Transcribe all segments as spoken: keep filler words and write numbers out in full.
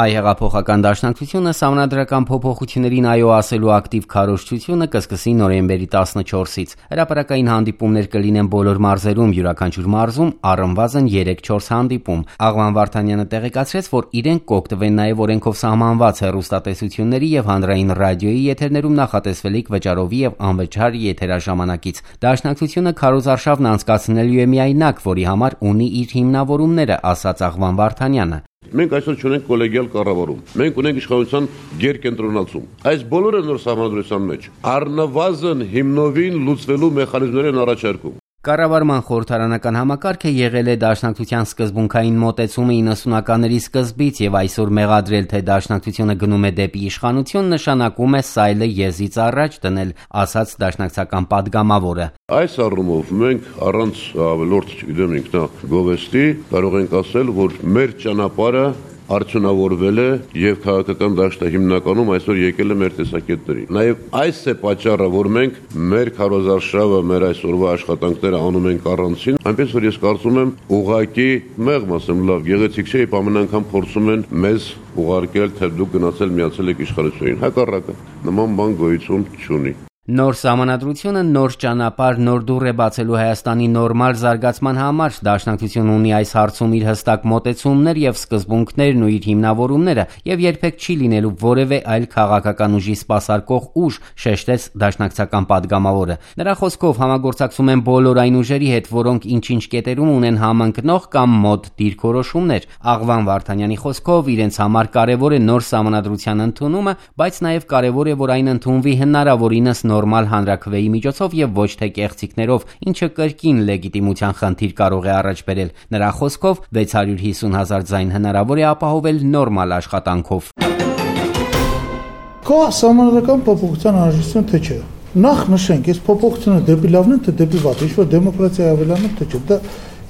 Այ հեղափոխական դաշնակցությունը սահմանադրական փոփոխություններին այո ասելու ակտիվ քարոզչությունը կսկսի նոյեմբերի տասնչորսից։ Հրապարակային հանդիպումներ կլինեն բոլոր մարզերում, յուրաքանչյուր մարզում առնվազն երեք-չորս հանդիպում։ Աղվան Վարդանյանը տեղեկացրեց, որ իրենք կօգտվեն նաև օրենքով սահմանված հեռուստատեսությունների եւ հանրային ռադիոյի եթերներում նախատեսվելիք վճարովի եւ անվճար եթերաժամանակից։ Դաշնակցությունը քարոզարշավն անցկացնելու է միայնակ, որի համար ունի իր հիմնավորումները, ասաց Աղվան Վարդանյանը։ Մենք այսօր չունենք կոլեգիալ կառավարում, մենք ունենք իշխանության գերկենտրոնացում։ Այս բոլորը նոր սահմանադրության մեջ առնվազն հիմնովին լուծվելու մեխանիզմներ են առաջարկում։ Կառավարման խորհրդարանական համակարգը եղել է դաշնակցության սկզբունքային մոտեցումը իննսունականների սկզբից եւ այսօր մեղադրել, թե դաշնակցությունը գնում է դեպի իշխանություն, նշանակում է սայլը եզից առաջ դնել, ասաց դաշնակցական падգամավորը։ Այս առումով մենք առանց ավելորդ, չգիտեմ, ինքնագովեստի կարող ենք ասել, որ մեր ճանապարհը արդյունավորվել է եւ քաղաքական դաշտը հիմնականում այսօր եկել է մեր տեսակետներին։ Նաեւ այս է պատճառը, որ մենք մեր քարոզարշավը, մեր այսօրվա աշխատանքները անում ենք առանցին, այնպես որ ես կարծում եմ ուղղակի մեղմ ասեմ լավ, գեղեցիկ չէ, ամեն անգամ փորձում են մեզ ուղարկել, թե դուք գնացել միացել եք իշխանությունին։ Հակառակը, նման բան գոյություն չունի։ Նոր սահմանադրությունը նոր ճանապարհ, նոր դուռ է բացելու Հայաստանի նորմալ զարգացման համար։ Դաշնակցությունը ունի այս հարցում իր հստակ մոտեցումներ եւ սկզբունքներն ու իր հիմնավորումները եւ երբեք չի լինելու որևէ այլ քաղաքական ուժի սպասարկող ուժ, շեշտեց դաշնակցական падգամավորը։ Նրա խոսքով համագործակցում են բոլոր այն ուժերի հետ, որոնք ինչ-ինչ կետերում ունեն համընկնող կամ մոտ դիրքորոշումներ։ Աղվան Վարդանյանի խոսքով իրենց համար կարևոր է նոր սահմանադրության ընդունումը, բայց նաեւ կարևոր է, որ այն ընդունվի հնարավորինս նորմալ հանրաքվեի միջոցով եւ ոչ թե կեղծիքներով, ինչը կրկին լեգիտիմության խնդիր կարող է առաջ բերել։ Նրա խոսքով վեց հարյուր հիսուն հազար ձայն հնարավոր է ապահովել նորմալ աշխատանքով։ Կա սահմանադրական փոփոխության անհրաժեշտություն, թե չէ։ Նախ նշենք, այս փոփոխությունը դեպի լավն է, թե դեպի վատ, ինչ որ դեմոկրատիա ավելանում, թե չէ։ Դա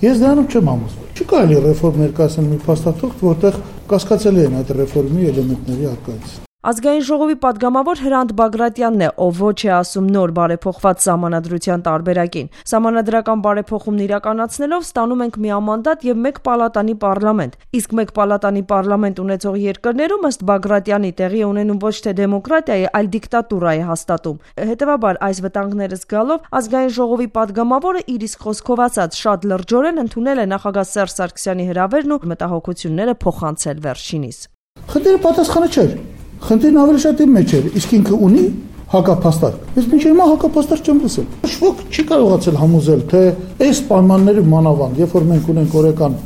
ես դրանում չեմ համոզվել։ Չի կարելի ռեֆորմ ներկայացնել մի փաստաթուղթ, որտեղ կասկածելի են այդ ռեֆորմի էլեմենտների արկայություն։ Ազգային ժողովի падգամավոր Հրանտ Բագրատյանն է, ով ոչ է ասում նոր բարեփոխված սահմանադրության տարբերակին։ Սահմանադրական բարեփոխումն իրականացնելով ստանում ենք միամանդատ եւ մեկ պալատանի պարլամենտ։ Իսկ մեկ պալատանի պարլամենտ ունեցող երկրներում ըստ Բագրատյանի տեղի ունենում ոչ թե դեմոկրատիայի, այլ դիկտատուրա է հաստատում։ Հետևաբար այս վտանգները զգալով Ազգային ժողովի падգամավորը իր իսկ խոսքով ասած շատ լրջորեն ընդունել է նախագահ Սերժ Սարգսյանի հրավերն ու մտահոգությունները փոխանցել վերջինիս։ Խնդիրը պատասխանը չէ։ Խնդիրն ավելի շատ իմ մեջ էր, իսկ ինքը ունի հակափաստարկ։ Ես մինչև հիմա հակափաստարկ չեմ լսել։ Շվոք չի կարողացել համոզել, թե այս պայմանների մանավանդ, երբ որ մենք ունենք օրական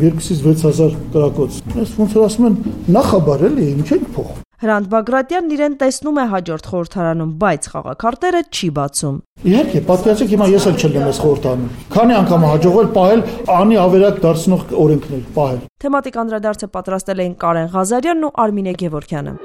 երկուսից վեց հազար կրակոց, ես ոնց որ ասում են նախաբար էլի, ինչ ենք փոխում։ Հրանտ Բագրատյանն իրեն տեսնում է հաջորդ խորհրդարանում, բայց խաղաքարտերը չի բացում։ Իհարկե, պատկերացեք հիմա ես էլ չեմ այս խորհրդարանում։ Քանի անգամ հաջողվել պահել անի ավերակ դարձնող օրենքներ, պահել։ Թեմատիկ անդրադարձը պատրաստել էին Կարեն Ղազարյանն ու Արմինե Գևորգյանը։